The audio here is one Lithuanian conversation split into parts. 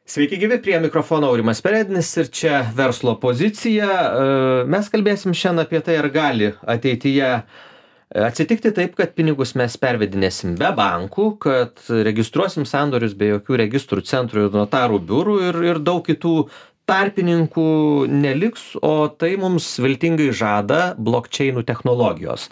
Sveiki gyvi, prie mikrofono Aurimas Perednis ir čia verslo pozicija. Mes kalbėsim šiandien apie tai, ar gali ateityje atsitikti taip, kad pinigus mes pervedinėsim be bankų, kad registruosim sandorius be jokių registrų centrų ir notarų biurų ir daug kitų tarpininkų neliks, o tai mums viltingai žada blockchainų technologijos.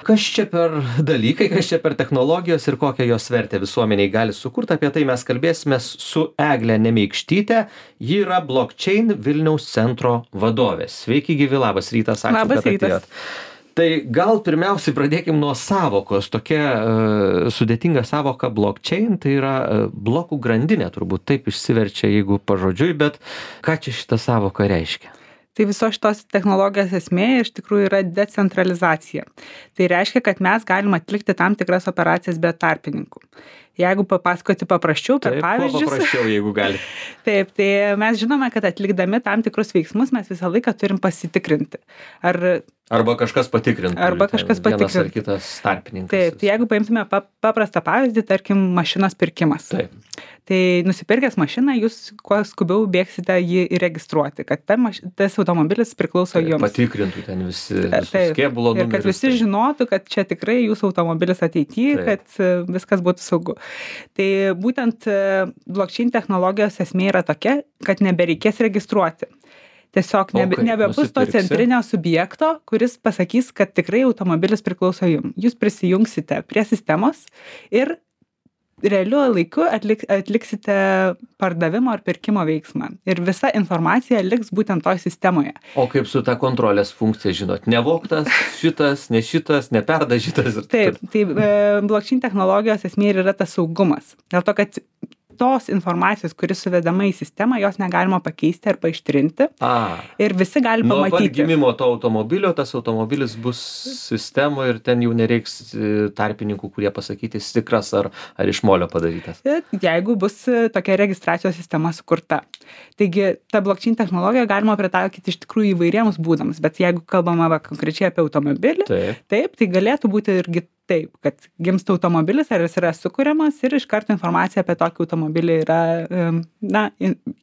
Kas čia per dalykai, kas čia per technologijos ir kokią jos vertę visuomeniai gali sukurti, apie tai mes kalbėsime su Egle Nemeikštyte. Ji yra blockchain Vilniaus centro vadovė. Sveiki gyvi, labas rytas, ačiū, Labas kad rytas. atėjot. Tai gal pirmiausiai pradėkim nuo savokos. Tokia sudėtinga savoka blockchain, tai yra blokų grandinė, turbūt taip išsiverčia, jeigu pažodžiui, bet ką čia šita savoka reiškia? Tai visos šitos technologijos esmė iš tikrųjų yra decentralizacija. Tai reiškia, kad mes galim atlikti tam tikras operacijas be tarpininkų. Jeigu papasakoti paprasčiau per pavyzdžius. Kuo paprasčiau, jeigu gali. Taip, tai mes žinome, kad atlikdami tam tikrus veiksmus mes visą laiką turim pasitikrinti. Arba kažkas patikrintų. Arba kažkas patikrintų. Vienas ar kitas tarpininkas. Taip, tai jeigu paimtume paprastą pavyzdį, tarkim, mašinos pirkimas. Taip. Tai nusipirkęs mašiną, jūs kuo skubiau bėgsite jį įregistruoti, kad tas automobilis priklauso jums. Patikrintų ten visus kėbulo numerius. Ir kad visi žinotų, kad čia tikrai jūsų automobilis ateityje, kad viskas būtų saugu. Tai būtent blockchain technologijos esmė yra tokia, kad nebereikės registruoti. Tiesiog nebebus to centrinio subjekto, kuris pasakys, kad tikrai automobilis priklauso jums. Jūs prisijungsite prie sistemos ir realiu laiku atliksite pardavimo ar pirkimo veiksmą. Ir visa informacija liks būtent toj sistemoje. O kaip su ta kontrolės funkcija, žinot, nevogtas šitas, ne šitas, neperdažytas. Taip, tai blockchain technologijos esmė yra tas saugumas. Dėl to, kad tos informacijos, kuris suvedama į sistemą, jos negalima pakeisti ar ištrinti. Ir visi gali pamatyti. Nuo pat gimimo to automobilio, tas automobilis bus sistemoje ir ten jau nereiks tarpininkų, kurie pasakyti tikras ar iš molio padarytas. Jeigu bus tokia registracijos sistema sukurta. Taigi, tą blockchain technologiją galima pritaikyti iš tikrųjų įvairiems būdams, bet jeigu kalbama konkrečiai apie automobilį, taip, tai galėtų būti irgi taip, kad gimsta automobilis, ar jis yra sukuriamas ir iš karto informacija apie tokį automobilį yra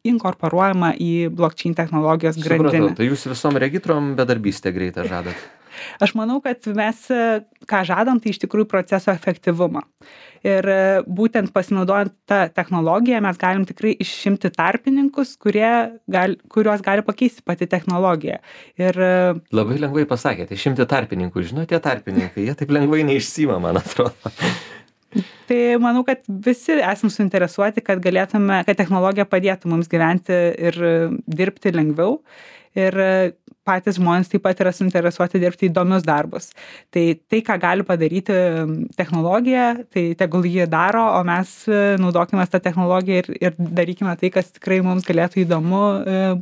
inkorporuojama į blockchain technologijos grandinę. Supratau, tai jūs visom regitrom bedarbystę greitą žadat? Aš manau, kad mes, ką žadam, tai iš tikrųjų proceso efektyvumą. Ir būtent pasinaudojant tą technologiją mes galim tikrai išimti tarpininkus, kuriuos gali pakeisti pati technologija. Ir labai lengvai pasakėte, išimti tarpininkų. Žinote, tie tarpininkai, jie taip lengvai neišsiima, man atrodo. Tai manau, kad visi esam suinteresuoti, kad technologija padėtų mums gyventi ir dirbti lengviau. Ir patys žmonės taip pat yra suinteresuoti dirbti įdomius darbus. Tai, ką gali padaryti technologija, tai tegul jį daro, o mes naudokime tą technologiją ir darykime tai, kas tikrai mums galėtų įdomu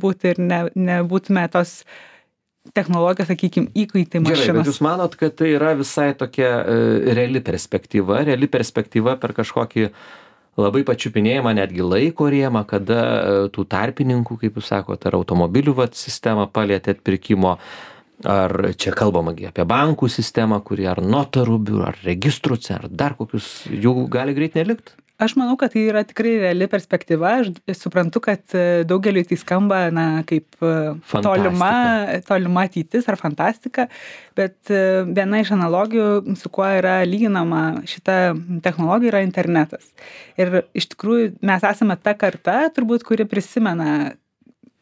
būti ir nebūtume tos technologijos, sakykime, įkaitai mašinos. Gerai, bet jūs manot, kad tai yra visai tokia reali perspektyva per kažkokį labai pačiupinėjama netgi laiko rėmą, kada tų tarpininkų, kaip jūs sakote, ar automobilių sistemą palietėt pirkimo, ar čia kalbama apie bankų sistemą, kuri ar notarų biurų, ar registrų, ar dar kokius, jų gali greit nelikt? Aš manau, kad tai yra tikrai reali perspektyva. Aš suprantu, kad daugeliui tai skamba kaip tolima ateitis ar fantastika, bet viena iš analogijų, su kuo yra lyginama šita technologija, yra internetas. Ir iš tikrųjų mes esame ta karta, turbūt, kuri prisimena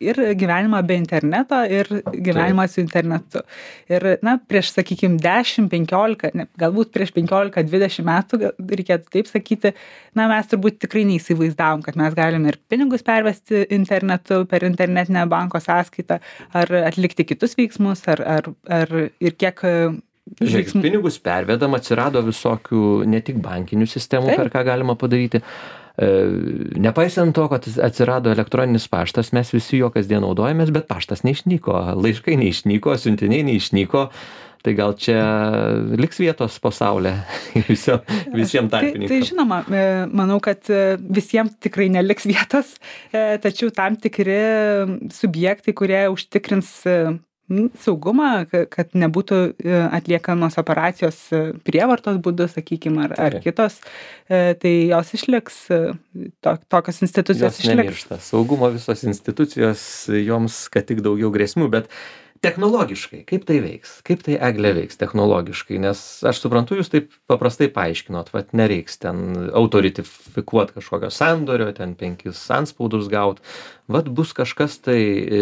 ir gyvenimą be interneto, ir gyvenimą su internetu. Ir, prieš, sakykime, 10-15, galbūt prieš 15-20 metų, reikėtų taip sakyti, mes turbūt tikrai neįsivaizdavom, kad mes galime ir pinigus pervesti internetu, per internetinę banko sąskaitą, ar atlikti kitus veiksmus, ar ir kiek... Žiūrėk, pinigus pervedam, atsirado visokių ne tik bankinių sistemų, per ką galima padaryti. Nepaisant to, kad atsirado elektroninis paštas, mes visi jo kasdien naudojamės, bet paštas neišnyko, laiškai neišnyko, siuntiniai neišnyko, tai gal čia liks vietos po saulę visiems tarpininkams. Tai žinoma, manau, kad visiems tikrai neliks vietos, tačiau tam tikri subjektai, kurie užtikrins saugumą, kad nebūtų atliekamos operacijos prievartos būdu, sakykime, ar kitos, tai jos išliks, tokios institucijos išliks. Jos nemiršta. Saugumo visos institucijos, joms kad tik daugiau grėsmių, bet technologiškai, kaip tai veiks? Kaip tai, Egle, veiks technologiškai? Nes aš suprantu, jūs taip paprastai paaiškinot, nereiks ten autoritifikuoti kažkokio sandorio, ten 5 anspaudus gauti. Bus kažkas tai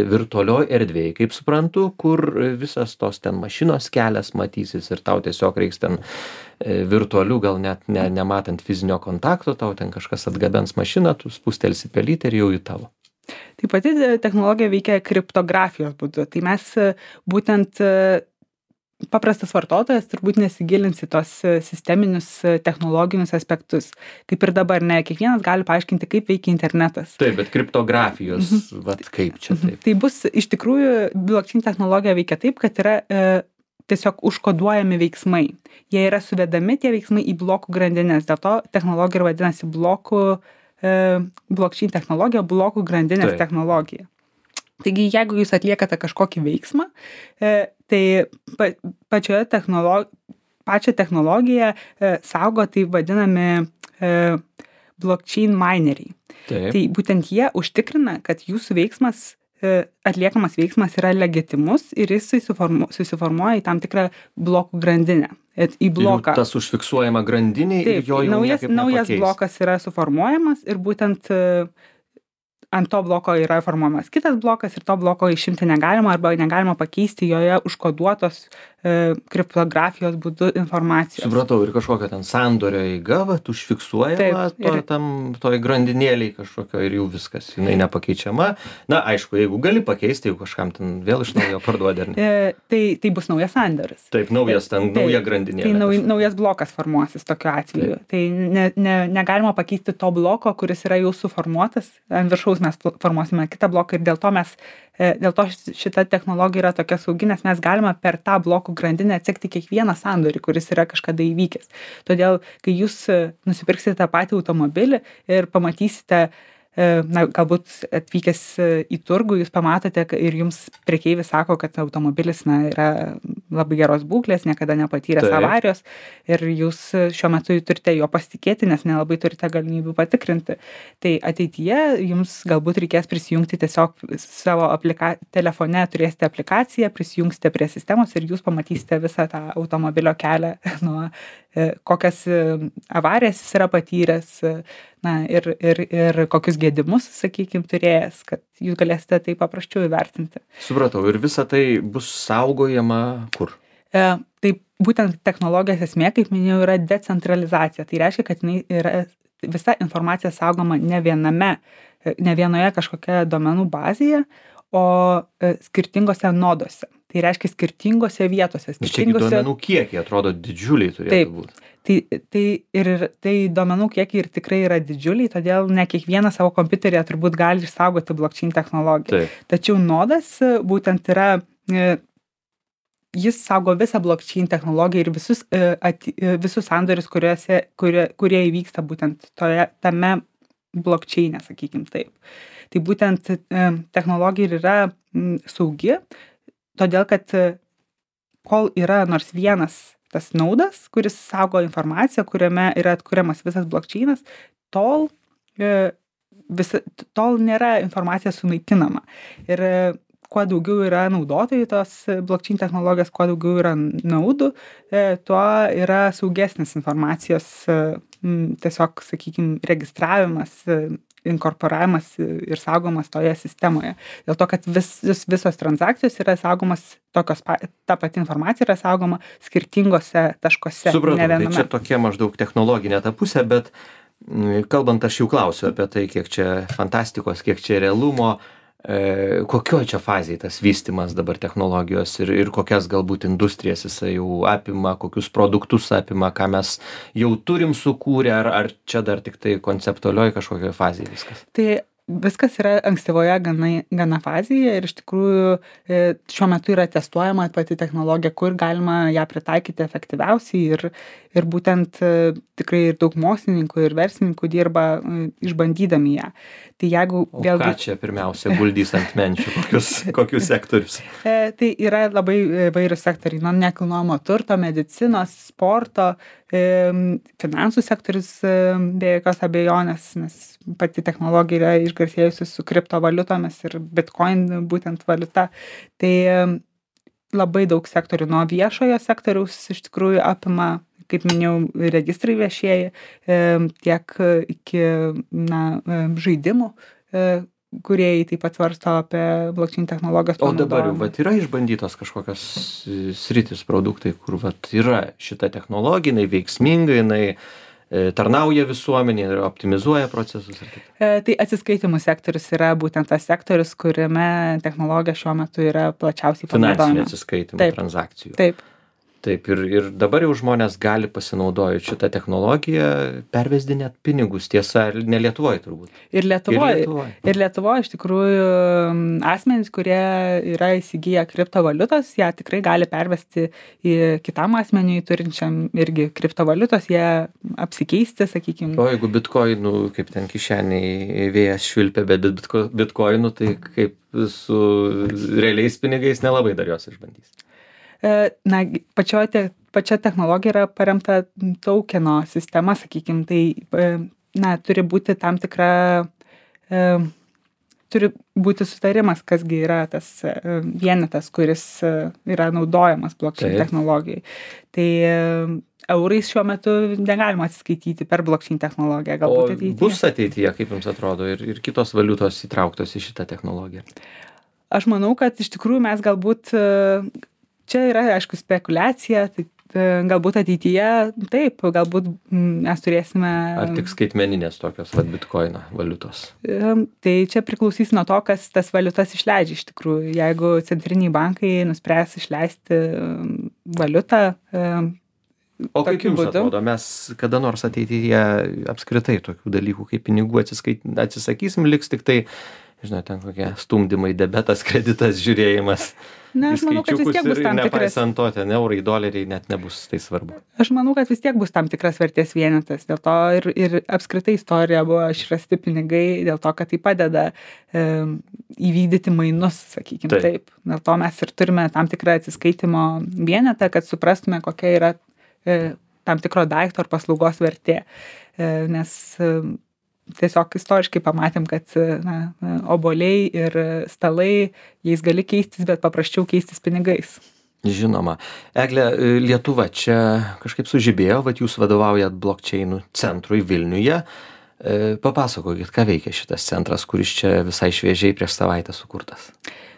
virtualioj erdvėje, kaip suprantu, kur visas tos ten mašinos kelias matysis ir tau tiesiog reiks ten virtualių, gal net nematant fizinio kontakto, tau ten kažkas atgabens mašiną, tu spustelsi pelytę ir jau į tavo. Taip pat technologija veikia kriptografijos būdu. Tai mes būtent paprastas vartotojas turbūt nesigilins į tos sisteminius technologinius aspektus. Kaip ir dabar, ne kiekvienas gali paaiškinti, kaip veikia internetas. Taip, bet kriptografijos, kaip čia taip? Tai bus, iš tikrųjų, blockchain technologija veikia taip, kad yra tiesiog užkoduojami veiksmai. Jie yra suvedami tie veiksmai į blokų grandinės. Dėl to technologija ir vadinasi blockchain technologija, blokų grandinės technologija. Taigi, jeigu jūs atliekate kažkokį veiksmą, tai pačią technologiją saugo tai vadinami blockchain mineriai. Tai būtent jie užtikrina, kad jūsų veiksmas, atliekamas veiksmas yra legitimus ir jis susiformuoja į tam tikrą blokų grandinę. Į bloką. Ir tas užfiksuojama grandinė ir jo jau niekaip nepakeis. Naujas blokas yra suformuojamas ir būtent ant to bloko yra formuojamas kitas blokas ir to bloko išimti negalima arba negalima pakeisti joje užkoduotos kriptografijos būdu informacijos. Supratau, ir kažkokia ten sandorio eiga, užfiksuojama toj grandinėliai kažkokio ir jau viskas, jinai nepakeičiama. Na, aišku, jeigu gali pakeisti, jeigu kažkam ten vėl iš naujo parduodi. Tai bus naujas sandoris. Taip, nauja grandinėlė. Tai naujas blokas formuosis tokiu atveju. Tai negalima pakeisti to bloko, kuris yra jau suformuotas. Ant viršaus mes formuosime kitą bloką ir dėl to šita technologija yra tokia saugi, nes mes galime per tą blokų grandinę atsekti kiekvieną sandorį, kuris yra kažkada įvykęs. Todėl, kai jūs nusipirksite tą patį automobilį ir pamatysite, galbūt atvykęs į turgų, jūs pamatote ir jums prekeivis sako, kad automobilis yra labai geros būklės, niekada nepatyręs avarijos ir jūs šiuo metu turite jo pasitikėti, nes nelabai turite galimybių patikrinti. Tai ateityje jums galbūt reikės prisijungti tiesiog savo telefone, turėsite aplikaciją, prisijungsite prie sistemos ir jūs pamatysite visą tą automobilio kelią nuo kokias avarijas jis yra patyręs, ir kokius gedimus, sakykime, turėjęs, kad jūs galėsite tai paprasčiau įvertinti. Supratau, ir visa tai bus saugojama kur? Tai būtent technologijos esmė, kaip minėjau, yra decentralizacija. Tai reiškia, kad visa informacija saugoma ne vienoje kažkokioje duomenų bazėje, o skirtingose nodose. Tai reiškia skirtingose vietose. Čia duomenų kiekiai atrodo didžiuliai turėtų būti. Tai duomenų kiekiai ir tikrai yra didžiuliai, todėl ne kiekvienas savo kompiuteryje turbūt gali išsaugoti blockchain technologiją. Tačiau nodas būtent yra, jis saugo visą blockchain technologiją ir visus sandorius, kurie įvyksta būtent tame blockchain'e, sakykim taip. Tai būtent technologija ir yra saugi, todėl kad kol yra nors vienas tas naudas, kuris saugo informaciją, kuriame yra atkuriamas visas blockchainas, tol nėra informacija sunaikinama. Ir kuo daugiau yra naudotojų tos blockchain technologijos, kuo daugiau yra naudų, tuo yra saugesnis informacijos tiesiog, sakykime, registravimas, inkorporavimas ir saugomas toje sistemoje. Dėl to, kad visos transakcijos yra saugomas, ta pati informacija yra saugoma skirtingose taškose. Supratau, tai čia tokia maždaug technologinė ta pusė, bet kalbant, aš jau klausiu apie tai, kiek čia fantastikos, kiek čia realumo, kokioj čia fazėje tas vystymas dabar technologijos ir kokias galbūt industrijas jisai jau apima, kokius produktus apima, ką mes jau turim sukūrę, ar čia dar tik tai konceptualioj kažkokioj fazėje viskas? Tai viskas yra ankstyvoje gana fazėje ir iš tikrųjų šiuo metu yra testuojama pati technologija, kur galima ją pritaikyti efektyviausiai ir būtent tikrai ir daug mokslininkų ir verslininkų dirba išbandydami ją. Tai jeigu vėlgi... Ką čia pirmiausia guldys ant menčių, kokius sektorius? Tai yra labai vairūs sektoriai, nuo nekilnojamo turto, medicinos, sporto, finansų sektorius be jokios abejonės, nes pati technologija yra išgarsėjusi su kriptovaliutomis ir Bitcoin būtent valiuta. Tai labai daug sektorių nuo viešojo sektoriaus iš tikrųjų apima, kaip minėjau, registrai viešieji, tiek iki žaidimų, kurie taip pat svarsto apie blockchain technologijos panaudojimą. O dabar jau vat, yra išbandytos kažkokios sritis produktai, kur vat, yra šita technologija, jinai veiksminga, jinai tarnauja visuomenė ir optimizuoja procesus. Tai atsiskaitimų sektorius yra būtent tas sektorius, kuriame technologija šiuo metu yra plačiausiai panaudojama. Finansinių atsiskaitimų transakcijų. Taip. Taip, ir dabar jau žmonės gali pasinaudojant šitą technologiją pervesdinėt pinigus, tiesa, ne Lietuvoje turbūt. Ir Lietuvoje iš tikrųjų asmenys, kurie yra įsigiję kriptovaliutos, ją tikrai gali pervesti į kitam asmeniui turinčiam irgi kriptovaliutos, jie apsikeisti, sakykime. O jeigu bitkoinų, kaip ten kišeniai vėjas švilpia, bet bitkoinų, tai kaip su realiais pinigais nelabai dar jos išbandys. Na, pačia technologija yra paremta tokeno sistema, sakykime, tai, turi būti tam tikra, turi būti sutarimas, kasgi yra tas vienetas, kuris yra naudojamas blockchain technologijai. Tai eurais šiuo metu negalima atsiskaityti per blockchain technologiją. Galbūt ateityje. Bus ateityje, kaip jums atrodo, ir kitos valiutos įtrauktos į šitą technologiją? Aš manau, kad iš tikrųjų mes galbūt... Čia yra, aišku, spekulacija, tai galbūt ateityje, taip, galbūt mes turėsime... Ar tik skaitmeninės tokios bitkoino valiutos? Tai čia priklausys nuo to, kas tas valiutas išleidžia iš tikrųjų. Jeigu centriniai bankai nuspręs išleisti valiutą... O kaip jums atrodo, mes kada nors ateityje apskritai tokių dalykų kaip pinigų atsisakysim, liks tik tai, žinot, ten kokie stumdymai, debetas, kreditas, žiūrėjimas... Na, aš manau, kad vis tiek bus tam tikras... Nepaisant to, ten eurai, doleriai net nebus tai svarbu. Aš manau, kad vis tiek bus tam tikras vertės vienetas. Dėl to ir apskritai istorija buvo išrasti pinigai, dėl to, kad tai padeda įvykdyti mainus, sakykime taip. Dėl to mes ir turime tam tikrą atsiskaitimo vienetą, kad suprastume, kokia yra tam tikro daikto ar paslaugos vertė. Nes... Tiesiog istoriškai pamatėm, kad obuoliai ir stalai, jais gali keistis, bet paprasčiau keistis pinigais. Žinoma. Egle, Lietuva čia kažkaip sužibėjo, vat jūs vadovaujat blockchainų centrui Vilniuje. Papasakokit, ką veikia šitas centras, kuris čia visai šviežiai prieš savaitę sukurtas.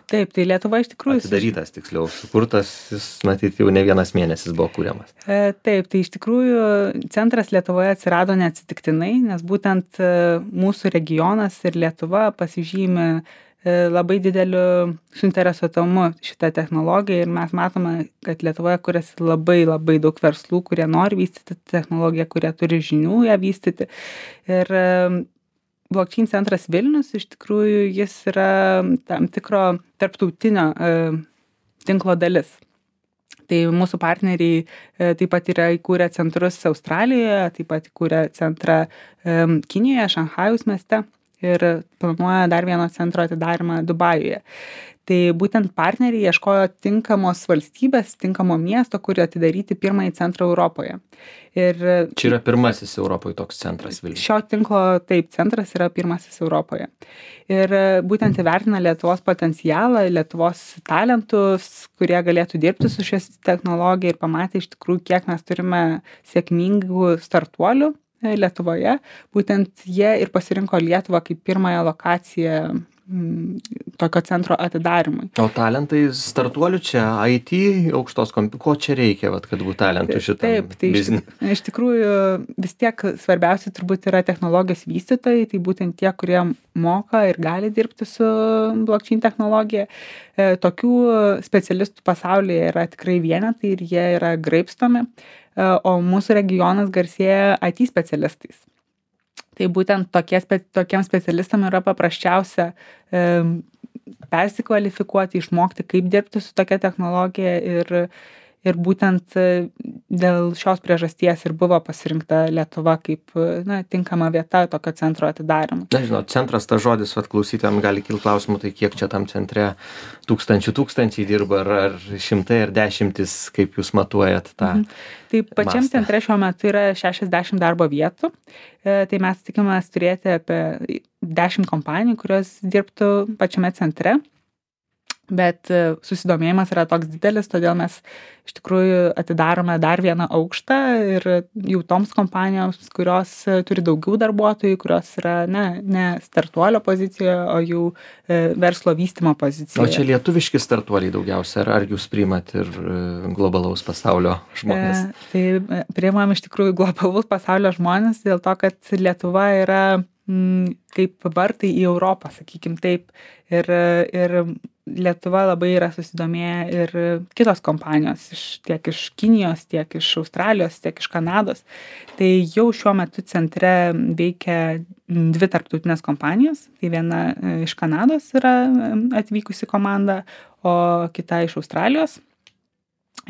Taip, tai Lietuva iš tikrųjų... Atidarytas, tiksliau, sukurtas, jis, matyt, jau ne vienas mėnesis buvo kūriamas. Taip, tai iš tikrųjų centras Lietuvoje atsirado neatsitiktinai, nes būtent mūsų regionas ir Lietuva pasižymi labai dideliu suinteresuotumu šitą technologiją ir mes matome, kad Lietuvoje kuriasi labai daug verslų, kurie nori vystyti technologiją, kurie turi žinių ją vystyti. Ir blockchain centras Vilnius, iš tikrųjų, jis yra tam tikro tarptautinio tinklo dalis. Tai mūsų partneriai taip pat yra įkūrę centrus Australijoje, taip pat įkūrę centrą Kinijoje, Šanchajaus mieste ir planuoja dar vieno centro atidarymą Dubajuje. Tai būtent partneriai ieškojo tinkamos valstybės, tinkamo miesto, kur atidaryti pirmąjį centrą Europoje. Ir čia yra pirmasis Europoje toks centras Vilniuje. Šio tinklo, taip, centras yra pirmasis Europoje. Ir būtent įvertina Lietuvos potencialą, Lietuvos talentus, kurie galėtų dirbti su šios technologija ir pamatė iš tikrųjų, kiek mes turime sėkmingų startuolių Lietuvoje. Būtent jie ir pasirinko Lietuvą kaip pirmąją lokaciją tokio centro atidarymui. O talentai startuolių čia, IT, aukštos ko čia reikia, vat, kad būtų talentų šitam biznį? Iš tikrųjų, vis tiek svarbiausia turbūt yra technologijos vystytojai, tai būtent tie, kurie moka ir gali dirbti su blockchain technologija. Tokių specialistų pasaulyje yra tikrai vienetai ir jie yra graibstomi, o mūsų regionas garsėja IT specialistais. Tai būtent tokiems specialistam yra paprasčiausia persikvalifikuoti, išmokti, kaip dirbti su tokia technologija ir būtent dėl šios priežasties ir buvo pasirinkta Lietuva kaip tinkama vieta tokio centro atidarymui. Na, žinot, centras, tas žodis, klausytojams gali kilti klausimų, tai kiek čia tam centre tūkstančiai dirba, ar šimtai, ar dešimtis, kaip jūs matuojat tą Tai pačiam centre šiuo metu yra 60 darbo vietų, tai mes tikimės turėti apie 10 kompanijų, kurios dirbtų pačiame centre. Bet susidomėjimas yra toks didelis, todėl mes iš tikrųjų atidarome dar vieną aukštą ir jau toms kompanijoms, kurios turi daugiau darbuotojų, kurios yra ne startuolio pozicijoje, o jau verslo vystymo pozicijoje. O čia lietuviški startuoliai daugiausia, ar jūs priimat ir globalaus pasaulio žmonės? Tai priimam iš tikrųjų globalaus pasaulio žmonės dėl to, kad Lietuva yra kaip vartai į Europą, sakykim taip. Ir Lietuva labai yra susidomėję ir kitos kompanijos, tiek iš Kinijos, tiek iš Australijos, tiek iš Kanados. Tai jau šiuo metu centre veikia 2 tarptautinės kompanijos. Tai viena iš Kanados yra atvykusi komanda, o kita iš Australijos.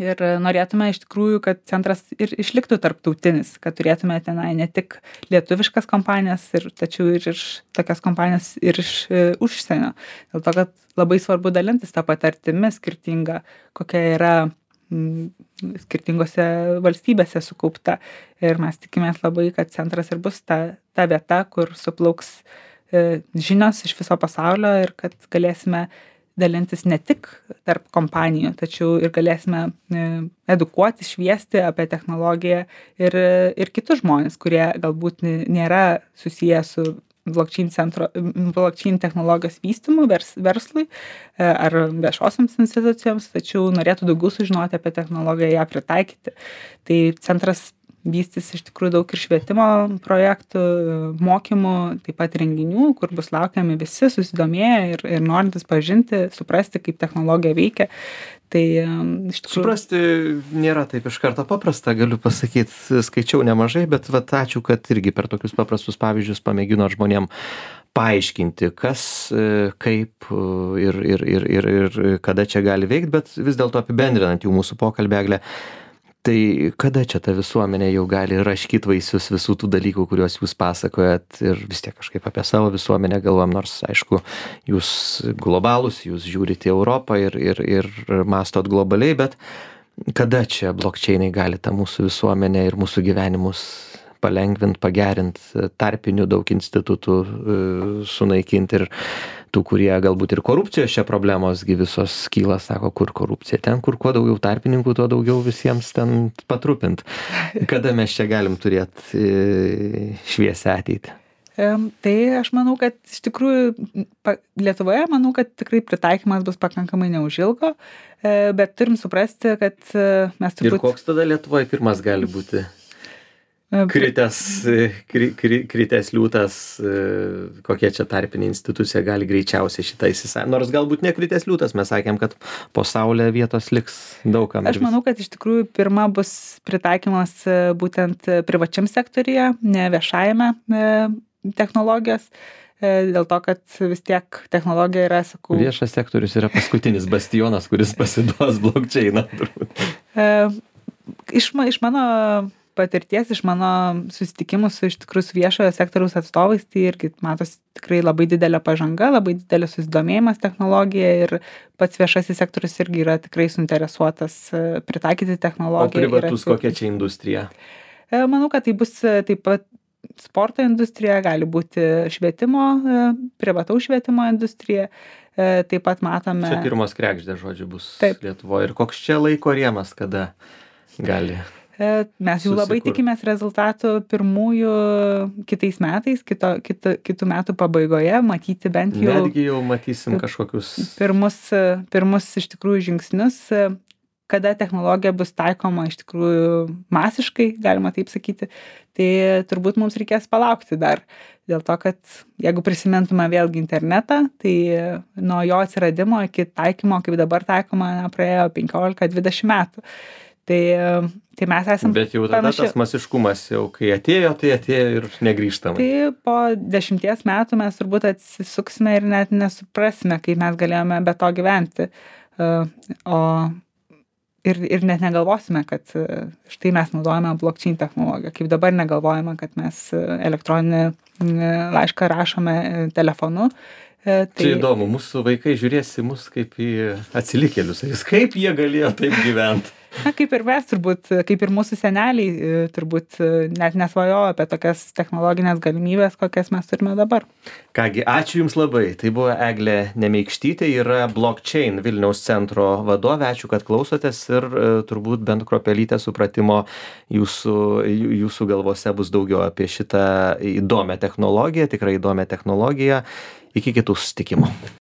Ir norėtume iš tikrųjų, kad centras ir išliktų tarptautinis, kad turėtume tenai ne tik lietuviškas kompanijas, tačiau ir iš tokias kompanijas ir iš užsienio. Dėl to, kad labai svarbu dalintis tą patirtimį skirtingą, kokia yra skirtingose valstybėse sukaupta. Ir mes tikimės labai, kad centras ir bus ta vieta, kur suplauks žinios iš viso pasaulio ir kad galėsime dalintis ne tik tarp kompanijų, tačiau ir galėsime edukuoti, šviesti apie technologiją ir kitus žmonės, kurie galbūt nėra susiję su blockchain technologijos vystymu verslui ar viešosioms institucijoms, tačiau norėtų daugiau sužinoti apie technologiją, ją pritaikyti. Tai centras vystys iš tikrųjų daug ir švietimo projektų, mokymų, taip pat renginių, kur bus laukiami visi susidomėję ir norintis pažinti, suprasti, kaip technologija veikia. Tai iš tikrųjų... Suprasti nėra taip iš karto paprasta, galiu pasakyti, skaičiau nemažai, bet ačiū, kad irgi per tokius paprastus pavyzdžius pamėgino žmonėm paaiškinti, kas, kaip ir kada čia gali veikti, bet vis dėlto apibendrinant jau mūsų pokalbį, Egle, tai kada čia ta visuomenė jau gali raškyti vaisius visų tų dalykų, kuriuos jūs pasakojat ir vis tiek kažkaip apie savo visuomenę galvojam, nors, aišku, jūs globalūs, jūs žiūrite į Europą ir mastot globaliai, bet kada čia blockchainai gali tą mūsų visuomenę ir mūsų gyvenimus palengvint, pagerint, tarpinių daug institutų sunaikinti ir tų, kurie galbūt ir korupcijos čia problemos visos kyla, sako, kur korupcija, ten, kur kuo daugiau tarpininkų, tuo daugiau visiems ten patrupint. Kada mes čia galim turėti šviesią ateitį? Tai aš manau, kad iš tikrųjų Lietuvoje, manau, kad tikrai pritaikymas bus pakankamai neužilgo, bet turim suprasti, kad mes turbūt... Ir koks tada Lietuvoje pirmas gali būti? Kritęs liūtas, kokia čia tarpinė institucija gali greičiausiai šitą įsisąjungti. Nors galbūt ne kritęs liūtas, mes sakėm, kad po saulė vietos liks daugam. Aš manau, kad iš tikrųjų pirma bus pritaikymas būtent privačiam sektorija, ne viešajame technologijos. Dėl to, kad vis tiek technologija yra, sakau... Viešas sektorius yra paskutinis bastionas, kuris pasiduos blockchainą. Iš mano patirties, iš mano susitikimų su iš tikrųjų su viešojo sektoriaus atstovais, tai irgi matos tikrai labai didelė pažanga, labai didelis susidomėjimas technologija ir pats viešasis sektorius irgi yra tikrai suinteresuotas pritaikyti technologiją. O privatus kokia čia industrija? Manau, kad tai bus taip pat sporto industrija, gali būti švietimo, privataus švietimo industrija. Taip pat matome... Čia pirmos kregždės žodžiu bus Lietuvoje. Ir koks čia laiko rėmas, kada gali... Mes jau labai tikimės rezultatų pirmųjų kitais metais, kitų metų pabaigoje, matyti bent jau... Netgi jau matysim kažkokius... Pirmus iš tikrųjų žingsnius, kada technologija bus taikoma iš tikrųjų masiškai, galima taip sakyti, tai turbūt mums reikės palaukti dar. Dėl to, kad jeigu prisimintume vėlgi internetą, tai nuo jo atsiradimo iki taikymo, kaip dabar taikoma, praėjo 15-20 metų. Tai mes esam Bet jau tada tas masiškumas jau, kai atėjo, tai atėjo ir negrįžtamai. Tai po 10 metų mes turbūt atsisuksime ir net nesuprasime, kaip mes galėjome be to gyventi. Ir net negalvosime, kad štai mes naudojame blockchain technologiją, kaip dabar negalvojame, kad mes elektroninį laišką rašome telefonu. Čia įdomu, mūsų vaikai žiūrės į mus kaip į atsilikėlius, kaip jie galėjo taip gyventi. Na, kaip ir mes turbūt, kaip ir mūsų seneliai turbūt net nesvajojo apie tokias technologinės galimybės, kokias mes turime dabar. Kągi, ačiū Jums labai. Tai buvo Eglė Nemeikštytė, yra blockchain Vilniaus centro vadovė. Ačiū, kad klausotės ir turbūt bent kruopelytę supratimo jūsų galvose bus daugiau apie šitą įdomią technologiją, tikrai įdomią technologiją. Iki kitų susitikimų.